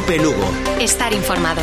COPE Lugo. Estar informado.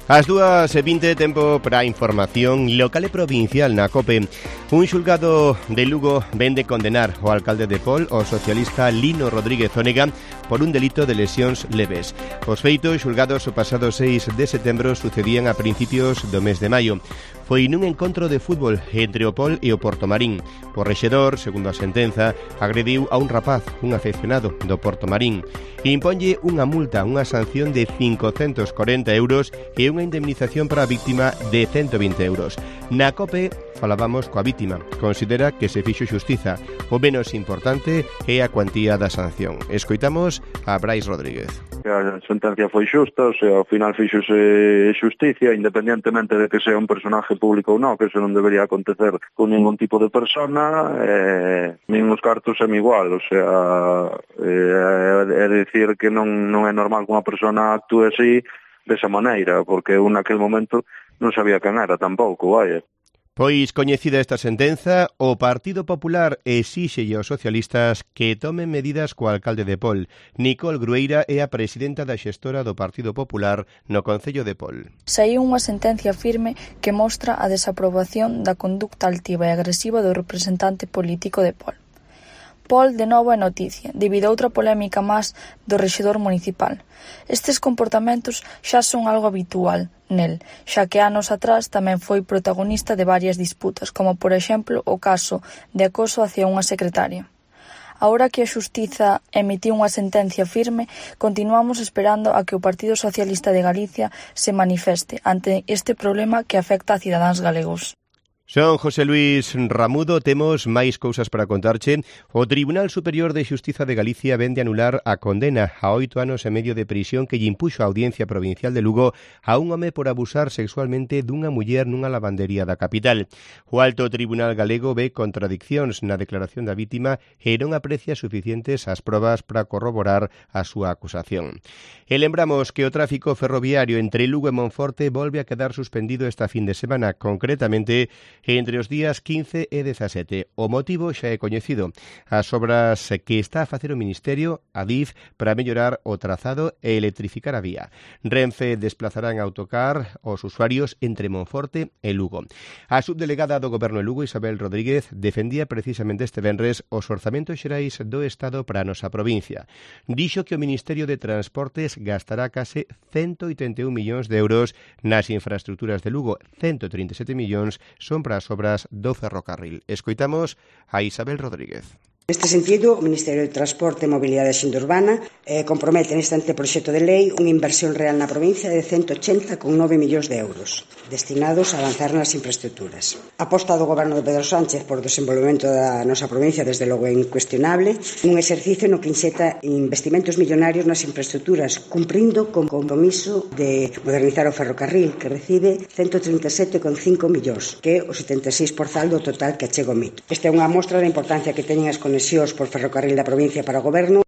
As 2:20, tempo para a información local e provincial na COPE. Un xulgado de Lugo vende condenar o alcalde de Pol, o socialista Lino Rodríguez Onega, por un delito de lesións leves. Os feitos xulgados o pasado 6 de setembro sucedían a principios do mes de maio. Foi nun encontro de fútbol entre o Pol e o Portomarín. O rexedor, segundo a sentenza, agrediu a un rapaz, un afeccionado do Portomarín. Imponlle unha multa, unha sanción de 540 euros e unha indemnización para a víctima de 120 euros. Na COPE falábamos coa víctima. Considera que se fixo xustiza. O menos importante é a cuantía da sanción. Escoitamos a Brais Rodríguez. A sentencia foi xusta, o sea, ao final fixose xusticia, independientemente de que sea un personaje público ou non, que eso non debería acontecer con ningún tipo de persona, nin os cartos é igual, o sea, é dicir que non é normal que unha persona actúe así desa maneira, porque eu naquel momento non sabía quen era tampouco, vaya. Pois coñecida esta sentenza, o Partido Popular exíxelle aos socialistas que tomen medidas co alcalde de Pol. Nicole Grueira é a presidenta da xestora do Partido Popular no Concello de Pol. Saíu unha sentencia firme que mostra a desaprobación da conducta altiva e agresiva do representante político de Pol. Pol de novo é noticia, debido a outra polémica máis do rexedor municipal. Estes comportamentos xa son algo habitual nel, xa que anos atrás tamén foi protagonista de varias disputas, como por exemplo o caso de acoso hacia unha secretaria. Agora que a Xustiza emitiu unha sentencia firme, continuamos esperando a que o Partido Socialista de Galicia se manifeste ante este problema que afecta a cidadáns galegos. Son José Luis Ramudo, temos máis cousas para contarche. O Tribunal Superior de Xustiza de Galicia vende anular a condena a 8 anos e medio de prisión que lle impuxo a Audiencia Provincial de Lugo a un home por abusar sexualmente dunha muller nunha lavandería da capital. O Alto Tribunal Galego ve contradiccións na declaración da vítima e non aprecia suficientes as probas para corroborar a súa acusación. E lembramos que o tráfico ferroviario entre Lugo e Monforte volve a quedar suspendido esta fin de semana, concretamente entre os días 15 e 17. O motivo xa é coñecido. As obras que está a facer o Ministerio, Adif, para mellorar o trazado e electrificar a vía. Renfe desplazará en autocar os usuarios entre Monforte e Lugo. A subdelegada do Goberno de Lugo, Isabel Rodríguez, defendía precisamente este venres os orzamentos xerais do Estado para a nosa provincia. Dixo que o Ministerio de Transportes gastará case 181 millóns de euros nas infraestructuras de Lugo. 137 millóns son para as obras do ferrocarril. Escoitamos a Isabel Rodríguez. Neste sentido, o Ministerio de Transporte e Mobilidade Xente Urbana compromete neste anteproxecto de lei unha inversión real na provincia de 180,9 millóns de euros destinados a avanzar nas infraestructuras. A aposta do Goberno de Pedro Sánchez por o desenvolvemento da nosa provincia desde logo é incuestionable, un exercicio no que inxeta investimentos millonarios nas infraestructuras, cumprindo con compromiso de modernizar o ferrocarril, que recibe 137,5 millóns, que é o 76% do total que achega o MIT. Esta é unha mostra da importancia que teñen as conexións por ferrocarril da provincia para o Goberno.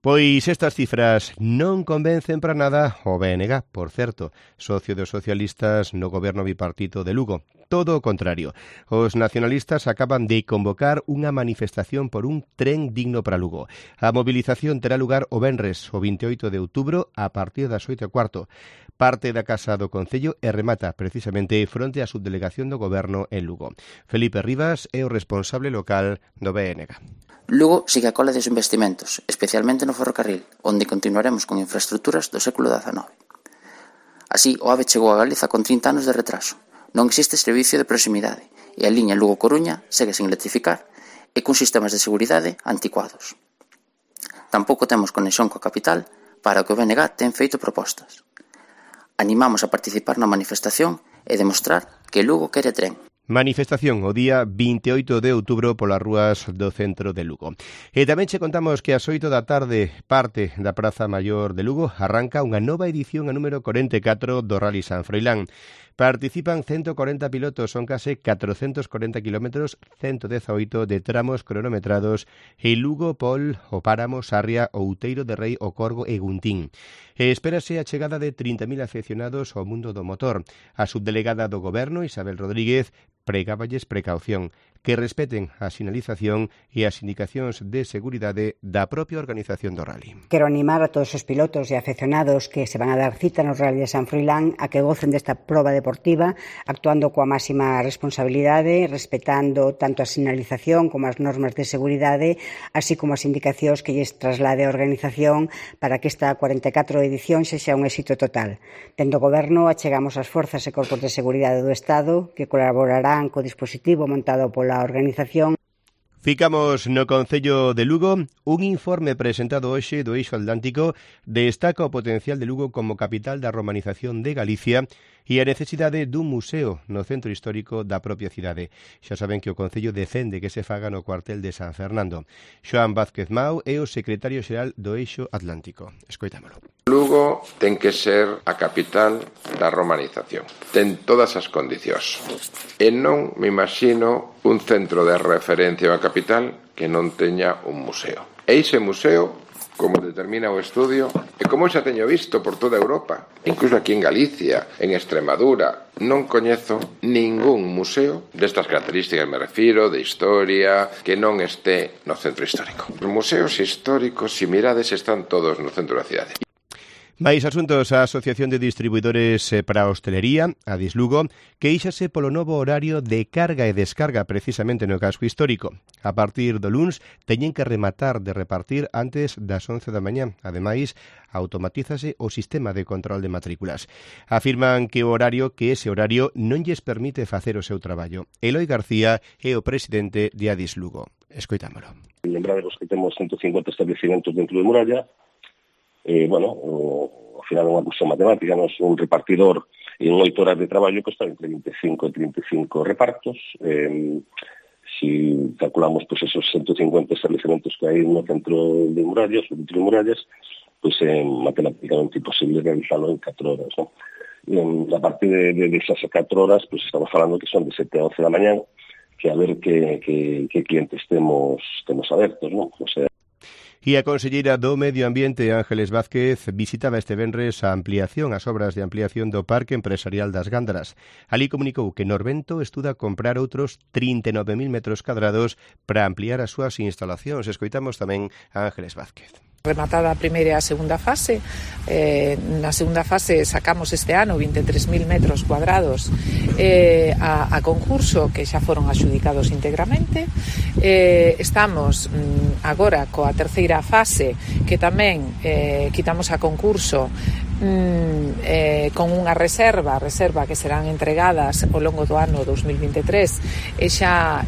Pois estas cifras non convencen para nada o BNG, por certo, socio dos socialistas no goberno bipartito de Lugo. Todo o contrario. Os nacionalistas acaban de convocar unha manifestación por un tren digno para Lugo. A movilización terá lugar o venres, o 28 de outubro, a partir das 8:15. Parte da Casa do Concello e remata precisamente fronte á subdelegación do goberno en Lugo. Felipe Rivas é o responsable local do BNG. Lugo sigue a cola dos investimentos, especialmente no ferrocarril, onde continuaremos con infraestructuras do século XIX. Así, o AVE chegou a Galiza con 30 anos de retraso. Non existe servicio de proximidade e a liña Lugo-Coruña segue sen electrificar e con sistemas de seguridade anticuados. Tampouco temos conexión coa capital para o que o BNG ten feito propostas. Animamos a participar na manifestación e demostrar que Lugo quere tren. Manifestación o día 28 de outubro polas rúas do centro de Lugo. E tamén che contamos que ás 8 da tarde, parte da Praza Maior de Lugo, arranca unha nova edición a número 44 do Rally San Froilán. Participan 140 pilotos, son case 440 kilómetros, 118 de tramos cronometrados en Lugo, Pol, o Páramo, Sarria, Outeiro de Rei, o Corgo e Guntín. E espérase a chegada de 30.000 afeccionados ao mundo do motor. A subdelegada do Goberno, Isabel Rodríguez, pregáballes precaución. que respeten a sinalización e as indicacións de seguridade da propia organización do rally. Quero animar a todos os pilotos e afeccionados que se van a dar cita no Rally de San Froilán a que gocen desta proba deportiva actuando coa máxima responsabilidade, respetando tanto a sinalización como as normas de seguridade, así como as indicacións que lles traslade a organización para que esta 44 edición sexa un éxito total. Dende o Goberno achegamos as forzas e corpos de seguridade do Estado que colaborarán co dispositivo montado pola organización. Ficamos no Concello de Lugo. Un informe presentado hoxe do Eixo Atlántico destaca o potencial de Lugo como capital da romanización de Galicia e a necesidade dun museo no centro histórico da propia cidade. Xa saben que o Concello defende que se faga no cuartel de San Fernando. Xoán Vázquez Mau é o secretario xeral do Eixo Atlántico. Escoitámolo. Lugo ten que ser a capital da romanización. Ten todas as condicións. E non me imagino un centro de referencia a capital que non teña un museo. E ese museo, como determina o estudio, e como xa teño visto por toda Europa, incluso aquí en Galicia, en Extremadura, non coñezo ningún museo destas características, me refiro, de historia, que non este no centro histórico. Os museos históricos, se mirades, están todos no centro da cidade. Máis asuntos, a Asociación de Distribuidores para a Hostelería, a Dislugo, queixase polo novo horario de carga e descarga precisamente no casco histórico. A partir do luns teñen que rematar de repartir antes das 11 da mañá. Ademais, automatízase o sistema de control de matrículas. Afirman que ese horario non lles permite facer o seu traballo. Eloi García é o presidente de Adislugo. Escoitámolo. Lembraremos que temos 150 estabelecimentos dentro de Muralla. Ao final é unha cuestión matemática, non é un repartidor en 8 horas de traballo que está entre 25 e 35 repartos. Si calculamos pues, esos 150 estabelecimentos que hai no centro de Murallas, no centro de Murallas, pues é matemáticamente imposible realizarlo en 4 horas, ¿no? A partir de esas 4 horas, pues estamos falando que son de 7 a 11 da mañá, que a ver que clientes temos abertos, ¿no? O sea, E a conselleira do Medio Ambiente, Ángeles Vázquez, visitaba este venres as obras de ampliación do Parque Empresarial das Gándaras. Alí comunicou que Norvento estuda comprar outros 39.000 metros cadrados para ampliar as súas instalacións. Escoitamos tamén a Ángeles Vázquez. Rematada a primeira e a segunda fase. Na segunda fase sacamos este ano 23.000 metros cuadrados a concurso que xa foron adxudicados íntegramente. Estamos agora coa terceira fase que tamén quitamos a concurso con unha reserva que serán entregadas ao longo do ano 2023 e xa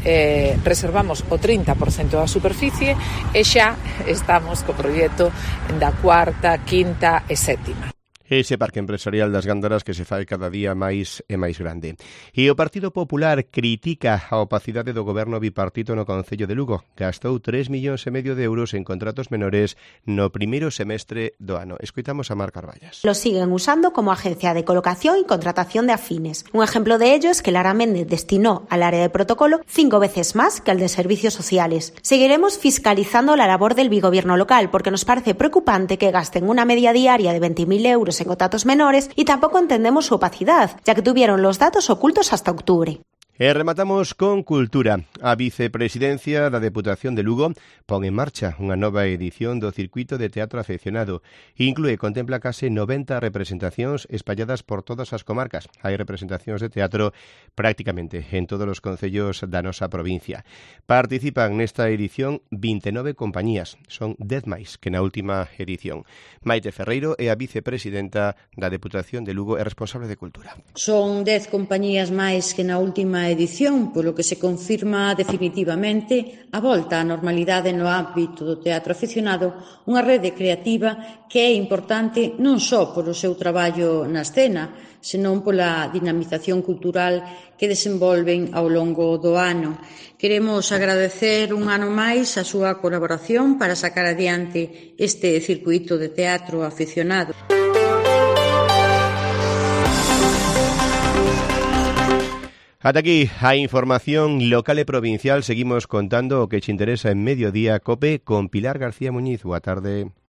reservamos o 30% da superficie e xa estamos co proxecto da cuarta, quinta e sétima. Ese Parque Empresarial das Gándaras que se fai cada día máis e máis grande. E o Partido Popular critica a opacidade do goberno bipartito no Concello de Lugo. Gastou 3,5 millóns de euros en contratos menores no primeiro semestre do ano. Escoitamos a Mar Carballas. Lo siguen usando como agencia de colocación y contratación de afines. Un ejemplo de ello es que Lara Méndez destinó al área de protocolo 5 veces más que al de servicios sociales. Seguiremos fiscalizando la labor del bigobierno local porque nos parece preocupante que gasten una media diaria de 20.000 euros en contratos menores y tampoco entendemos su opacidad, ya que tuvieron los datos ocultos hasta octubre. E rematamos con cultura. A vicepresidencia da Deputación de Lugo pon en marcha unha nova edición do Circuito de Teatro Afeccionado. Contempla case 90 representacións espalladas por todas as comarcas. Hai representacións de teatro prácticamente en todos os concellos da nosa provincia. Participan nesta edición 29 compañías. Son 10 máis que na última edición. Maite Ferreiro é a vicepresidenta da Deputación de Lugo e responsable de Cultura. Son 10 compañías máis que na última edición, polo que se confirma definitivamente a volta á normalidade no ámbito do teatro aficionado, unha rede creativa que é importante non só polo seu traballo na escena, senón pola dinamización cultural que desenvolven ao longo do ano. Queremos agradecer un ano máis a súa colaboración para sacar adiante este circuito de teatro aficionado. Ata aquí a información local e provincial. Seguimos contando o que che interesa en Mediodía Cope con Pilar García Muñiz. Boa tarde.